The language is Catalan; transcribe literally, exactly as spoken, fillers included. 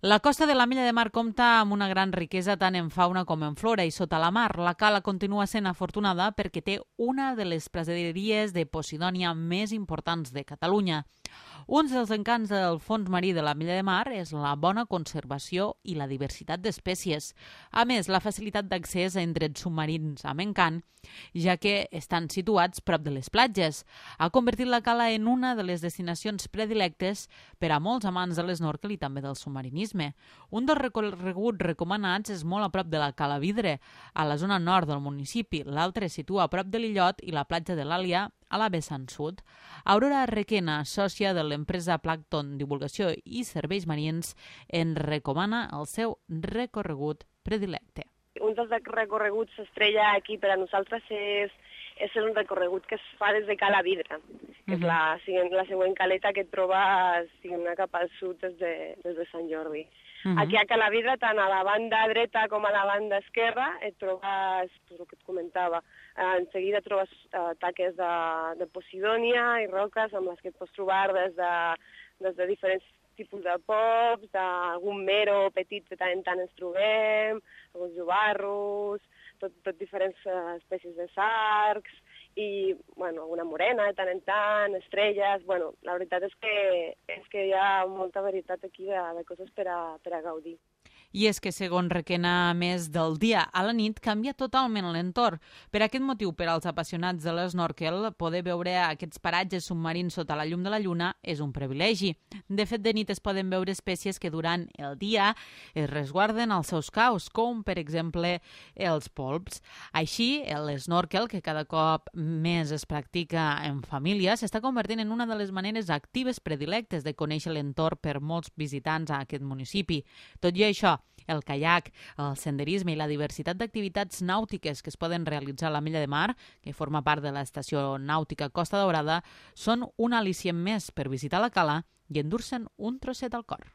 La costa de l'Ametlla de Mar compta amb una gran riquesa tant en fauna com en flora i sota la mar. La cala continua sent afortunada perquè té una de les praderies de Posidònia més importants de Catalunya. Un dels encants del fons marí de l'Ametlla de Mar és la bona conservació i la diversitat d'espècies. A més, la facilitat d'accés a indrets submarins amb encant, ja que estan situats prop de les platges. Ha convertit la cala en una de les destinacions predilectes per a molts amants de l'esnorkel i també del submarinisme. Un dels recorreguts recomanats és molt a prop de la Cala Vidre, a la zona nord del municipi. L'altre es situa a prop de l'illot i la platja de l'Àlia, a la vessant sud. Aurora Requena, sòcia de l'empresa Plankton Divulgació i Serveis Marins, en recomana el seu recorregut predilecte. Un dels recorreguts estrella aquí per a nosaltres és, és un recorregut que es fa des de Cala Vidre, que és la, la següent caleta que et trobes cap al sud des de, des de Sant Jordi. Uh-huh. Aquí a Cala Vidre, tant a la banda dreta com a la banda esquerra, et trobes, pues, el que et comentava, eh, en seguida trobes eh, taques de, de Posidònia i roques amb les que et pots trobar des de, des de diferents tipus de pops, d'algun mero petit que tant en tant ens trobem, alguns llobarros, tot, tot diferents uh, espècies de sarcs, i bueno, alguna morena de tant en tant, estrelles. Bueno, la veritat és que, és que hi ha molta varietat aquí de, de coses per a, per a gaudir. I és que, segons Requena, a més del dia a la nit, canvia totalment l'entorn. Per aquest motiu, per als apassionats de l'esnorkel, poder veure aquests paratges submarins sota la llum de la lluna és un privilegi. De fet, de nit es poden veure espècies que durant el dia es resguarden als seus caus, com, per exemple, els polps. Així, l'esnorkel, que cada cop més es practica en família, s'està convertint en una de les maneres actives predilectes de conèixer l'entorn per molts visitants a aquest municipi. Tot i això, el caiac, el senderisme i la diversitat d'activitats nàutiques que es poden realitzar a l'Ametlla de Mar, que forma part de l'estació nàutica Costa Daurada, són un al·licient més per visitar la cala i endur-se'n un trosset al cor.